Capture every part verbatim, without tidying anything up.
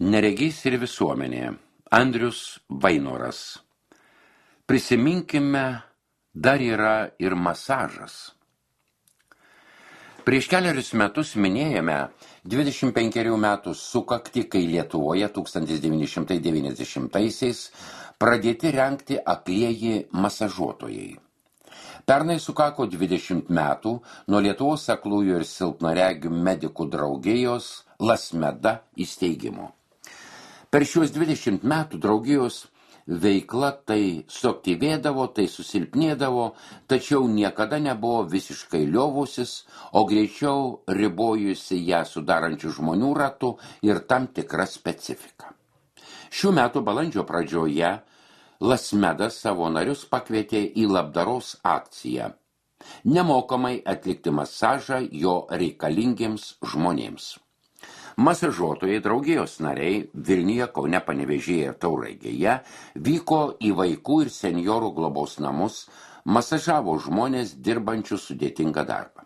Neregys ir visuomenė. Andrius Vainoras. Prisiminkime, dar yra ir masažas. Prieš keliarius metus minėjome dvidešimt penkerių metų sukaktį, kai Lietuvoje tūkstantis devyni šimtai devyniasdešimtaisiais pradėti rengti aklieji masažuotojai. Pernai sukako dvidešimt metų nuo Lietuvos aklųjų ir silpnaregių medikų draugijos Lasmeda įsteigimo. Per šiuos dvidešimt metų draugijos veikla tai suaktyvėdavo, tai susilpnėdavo, tačiau niekada nebuvo visiškai liovusis, o greičiau ribojusi ją sudarančių žmonių ratų ir tam tikrą specifiką. Šių metų balandžio pradžioje Lasmedas savo narius pakvietė į labdaros akciją nemokamai atlikti masažą jo reikalingiems žmonėms. Masažuotojai draugijos nariai Vilniuje, Kaune, Panevėžyje ir Tauragėje vyko į vaikų ir senjorų globos namus, masažavo žmonės dirbančius sudėtingą darbą.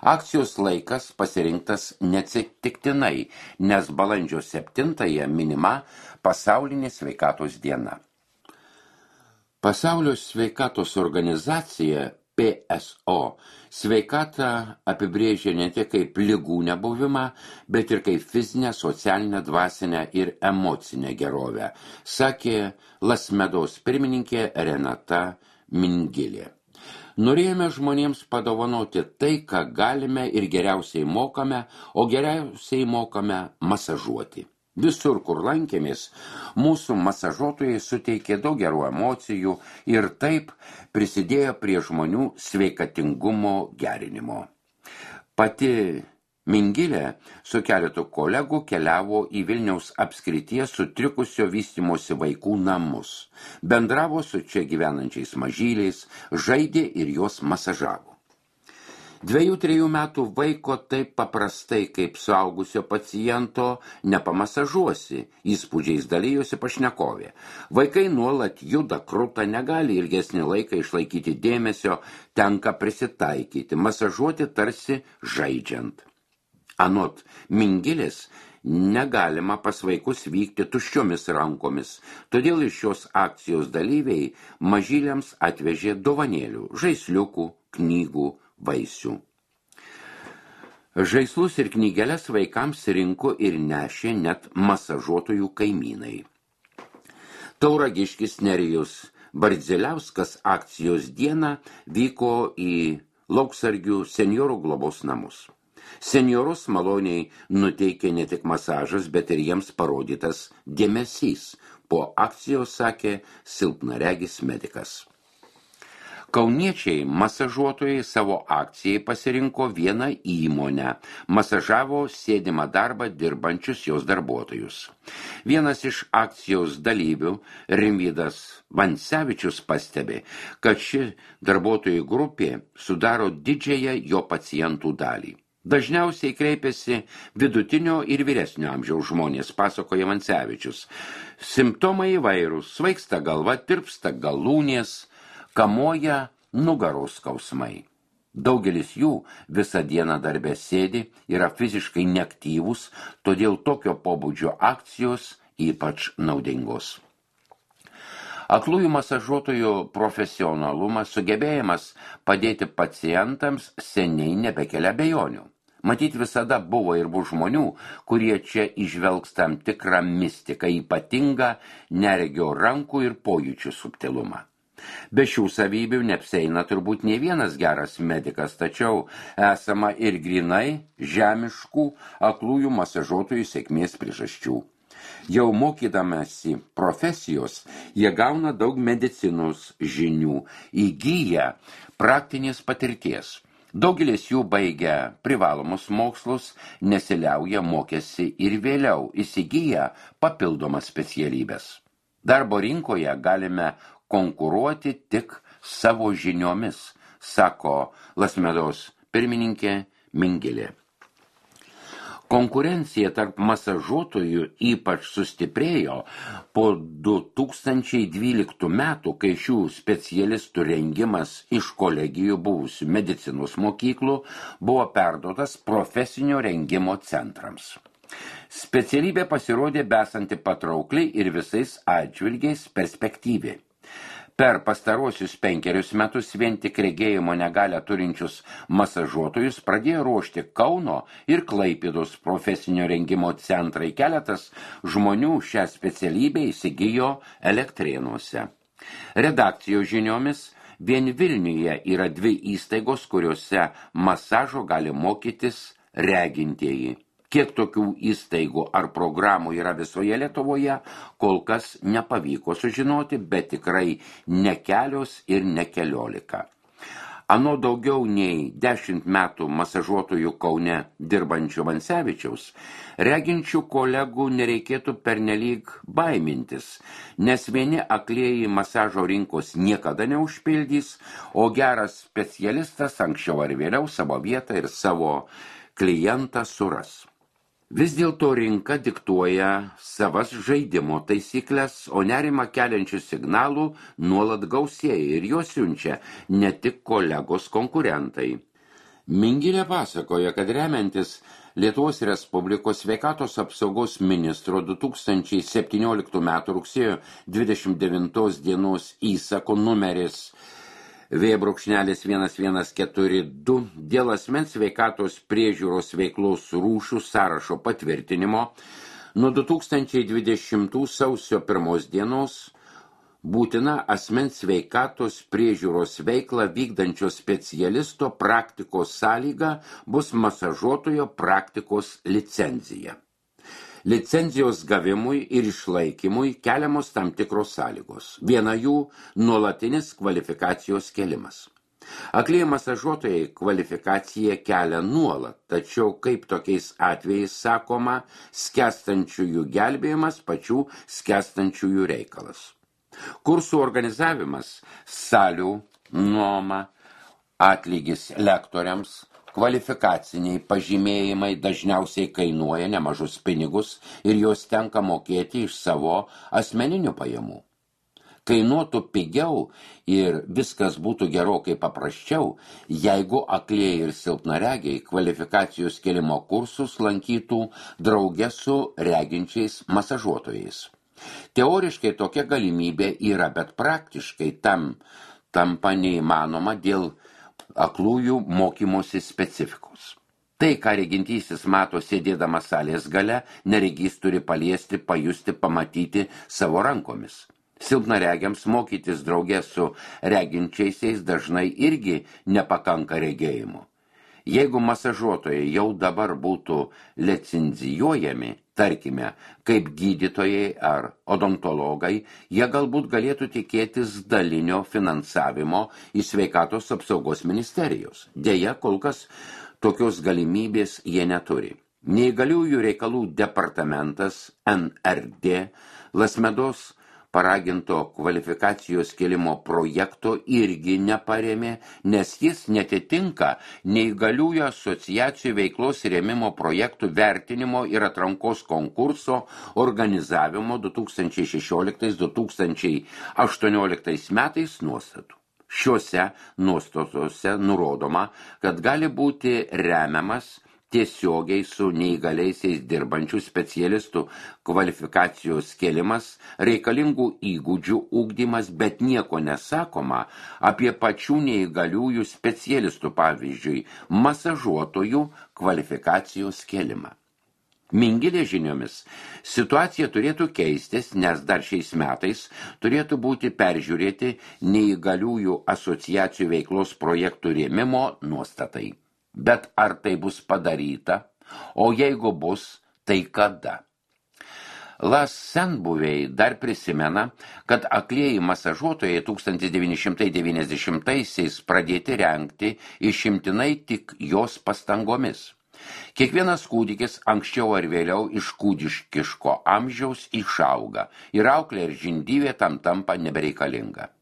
Akcijos laikas pasirinktas neatsitiktinai, nes balandžio septintąją minima pasaulinė sveikatos diena. Pasaulio sveikatos organizacija P S O sveikatą apibrėžia ne tik kaip ligų nebuvimą, bet ir kaip fizinę, socialinę, dvasinę ir emocinę gerovę, sakė Lasmedos pirmininkė Renata Mingilė. Norėjome žmonėms padovanoti tai, ką galime ir geriausiai mokame, o geriausiai mokame masažuoti. Visur, kur lankėmės, mūsų masažuotojai suteikė daug gerų emocijų ir taip prisidėjo prie žmonių sveikatingumo gerinimo. Pati Mingilė su keletu kolegų keliavo į Vilniaus apskrities sutrikusio vystymosi vaikų namus, bendravo su čia gyvenančiais mažyliais, žaidė ir juos masažavo. Dviejų, trejų metų vaiko taip paprastai kaip suaugusio paciento nepamasažuosi, įspūdžiais dalyjosi pašnekovė. Vaikai nuolat juda, kruta, negali ilgesnį laiką išlaikyti dėmesio, tenka prisitaikyti, masažuoti tarsi žaidžiant. Anot Mingilės, negalima pas vaikus vykti tuščiomis rankomis, todėl iš šios akcijos dalyviai mažyliams atvežė dovanėlių, žaisliukų, knygų, vaisių. Žaislus ir knygeles vaikams rinko ir nešė net masažuotojų kaimynai. Tauragiškis Nerijus Bardzeliauskas akcijos dieną vyko į Lauksargių senjorų globos namus. Senjorus maloniai nuteikė ne tik masažas, bet ir jiems parodytas dėmesys. Po akcijos sakė silpnaregis medikas. Kauniečiai masažuotojai savo akcijai pasirinko vieną įmonę, masažavo sėdimą darbą dirbančius jos darbuotojus. Vienas iš akcijos dalyvių, Rimvydas Vancevičius, pastebi, kad ši darbuotojų grupė sudaro didžiąją jo pacientų dalį. Dažniausiai kreipiasi vidutinio ir vyresnio amžiaus žmonės, pasakoja Vancevičius. Simptomai įvairūs, svaigsta galva, tirpsta galūnės, kamoja nugaros skausmai. Daugelis jų visą dieną darbe sėdi, yra fiziškai neaktyvūs, todėl tokio pobūdžio akcijos ypač naudingos. Aklųjų masažuotojų profesionalumas, sugebėjimas padėti pacientams seniai nebekelia abejonių. Matyt, visada buvo ir bus žmonių, kurie čia įžvelgs tam tikrą mistiką, ypatingą neregio rankų ir pojūčių subtilumą. Be šių savybių neapsieina turbūt ne vienas geras medikas, tačiau esama ir grinai žemiškų aklųjų masažuotojų sėkmės priežasčių. Jau mokydamasi profesijos, jie gauna daug medicinos žinių, įgyja praktinės patirties. Daugelis jų baigia privalomus mokslus, nesiliauja mokėsi ir vėliau įsigyja papildomas specialybės. Darbo rinkoje galime konkuruoti tik savo žiniomis, sako Lasmedos pirmininkė Mingilė. Konkurencija tarp masažuotojų ypač sustiprėjo po du tūkstančiai dvyliktų metų, kai šių specialistų rengimas iš kolegijų buvusių medicinos mokyklų buvo perduotas profesinio rengimo centrams. Specialybė pasirodė besanti patraukliai ir visais atžvilgiais perspektyvi. Per pastarosius penkerius metus vien tik regėjimo negalią turinčius masažuotojus pradėjo ruošti Kauno ir Klaipėdos profesinio rengimo centrai. Keletas žmonių šią specialybę įsigijo Elektrėnuose. Redakcijos žiniomis vien Vilniuje yra dvi įstaigos, kuriuose masažo gali mokytis regintieji. Kiek tokių įstaigų ar programų yra visoje Lietuvoje, kol kas nepavyko sužinoti, bet tikrai ne kelios ir ne keliolika. Ano daugiau nei dešimt metų masažuotojų Kaune dirbančių Vancevičiaus, reginčių kolegų nereikėtų pernelyg baimintis, nes vieni aklieji masažo rinkos niekada neužpildys, o geras specialistas anksčiau ar vėliau savo vietą ir savo klientą suras. Vis dėlto rinka diktuoja savas žaidimo taisyklės, o nerimą keliančių signalų nuolat gausėja ir juos siunčia ne tik kolegos konkurentai. Mingilė pasakoja, kad remiantis Lietuvos Respublikos sveikatos apsaugos ministro du tūkstančiai septynioliktų metų rugsėjo dvidešimt devintos dienos įsako numeris V vienas vienas keturi du dėl asmens sveikatos priežiūros veiklos rūšių sąrašo patvirtinimo nuo du tūkstančiai dvidešimtų sausio pirmos dienos būtina asmens sveikatos priežiūros veiklą vykdančio specialisto praktikos sąlyga bus masažuotojo praktikos licenzija. Licenzijos gavimui ir išlaikymui keliamos tam tikros sąlygos. Viena jų nuolatinis kvalifikacijos kėlimas. Aklieji masažuotojai kvalifikaciją kelia nuolat, tačiau kaip tokiais atvejais sakoma, skęstančiųjų gelbėjimas pačių skęstančiųjų reikalas. Kursų organizavimas, salių, nuoma, atlygis lektoriams, kvalifikaciniai pažymėjimai dažniausiai kainuoja nemažus pinigus ir juos tenka mokėti iš savo asmeninių pajamų. Kainuotų pigiau ir viskas būtų gerokai paprasčiau, jeigu aklieji ir silpnaregiai kvalifikacijos kėlimo kursus lankytų drauge su reginčiais masažuotojais. Teoriškai tokia galimybė yra, bet praktiškai tam tampa neįmanoma dėl aklųjų mokymosi specifikos. Tai, ką regintysis mato sėdėdamas salės gale, neregys turi paliesti, pajusti, pamatyti savo rankomis. Silpnaregiams mokytis drauge su reginčiaisiais dažnai irgi nepakanka regėjimo. Jeigu masažuotojai jau dabar būtų licenzijuojami, tarkime, kaip gydytojai ar odontologai, jie galbūt galėtų tikėtis dalinio finansavimo iš sveikatos apsaugos ministerijos. Deja, kol kas tokios galimybės jie neturi. Neįgaliųjų reikalų departamentas N R D Lasmedos paraginto kvalifikacijos kėlimo projekto irgi neparėmė, nes jis netitinka neįgaliųjų asociacijų veiklos rėmimo projektų vertinimo ir atrankos konkurso organizavimo du tūkstančiai šešioliktais - du tūkstančiai aštuonioliktais metais nuostatų. Šiuose nuostatose nurodoma, kad gali būti remiamas tiesiogiai su neįgaliaisiais dirbančių specialistų kvalifikacijos kėlimas, reikalingų įgūdžių ugdymas, bet nieko nesakoma apie pačių neįgaliųjų specialistų, pavyzdžiui, masažuotojų kvalifikacijos kėlimą. Mingilė žiniomis, situacija turėtų keistis, nes dar šiais metais turėtų būti peržiūrėti neįgaliųjų asociacijų veiklos projektų rėmimo nuostatai. Bet ar tai bus padaryta, o jeigu bus, tai kada? Las senbuviai dar prisimena, kad aklieji masažuotojai tūkstantis devyni šimtai devyniasdešimtaisiais pradėti rengti išimtinai tik jos pastangomis. Kiekvienas kūdikis anksčiau ar vėliau iš kūdiškiško amžiaus išauga ir auklė ir žindyvė tam tampa nebereikalinga.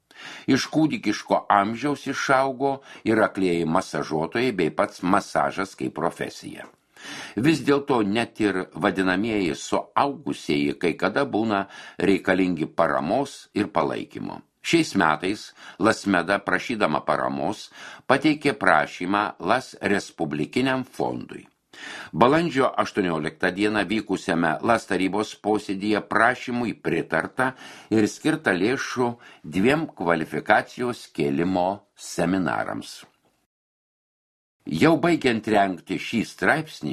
Iš kūdikiško amžiaus išaugo ir aklieji masažuotojai bei pats masažas kaip profesija. Vis dėlto net ir vadinamieji suaugusieji kai kada būna reikalingi paramos ir palaikymo. Šiais metais Lasmeda, prašydama paramos, pateikė prašymą Las Respublikiniam fondui. Balandžio aštuonioliktą dieną vykusiame LAS tarybos posėdyje prašymui pritarta ir skirta lėšų dviem kvalifikacijos kėlimo seminarams. Jau baigiant rengti šį straipsnį,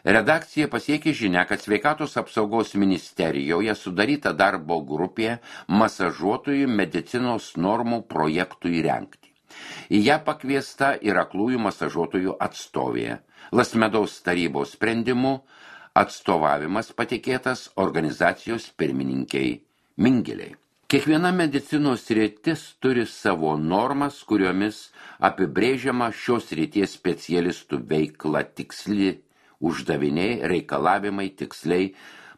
redakcija pasiekė žinia, kad Sveikatos apsaugos ministerijoje sudaryta darbo grupė masažuotojų medicinos normų projektui rengti. Į ją pakviesta ir aklųjų masažuotojų atstovė. LAS tarybos sprendimu atstovavimas patikėtas organizacijos pirmininkiai Mingeliai. Kiekviena medicinos sritis turi savo normas, kuriomis apibrėžiama šios srities specialistų veikla tiksli, uždaviniai, reikalavimai tiksliai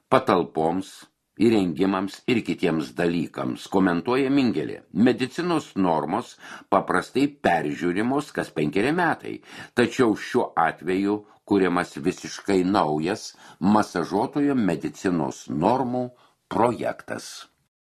patalpoms, įrengimams ir kitiems dalykams, komentuoja Mingelė. Medicinos normos paprastai peržiūrimos kas penkeri metai, tačiau šiuo atveju kuriamas visiškai naujas masažuotojo medicinos normų projektas.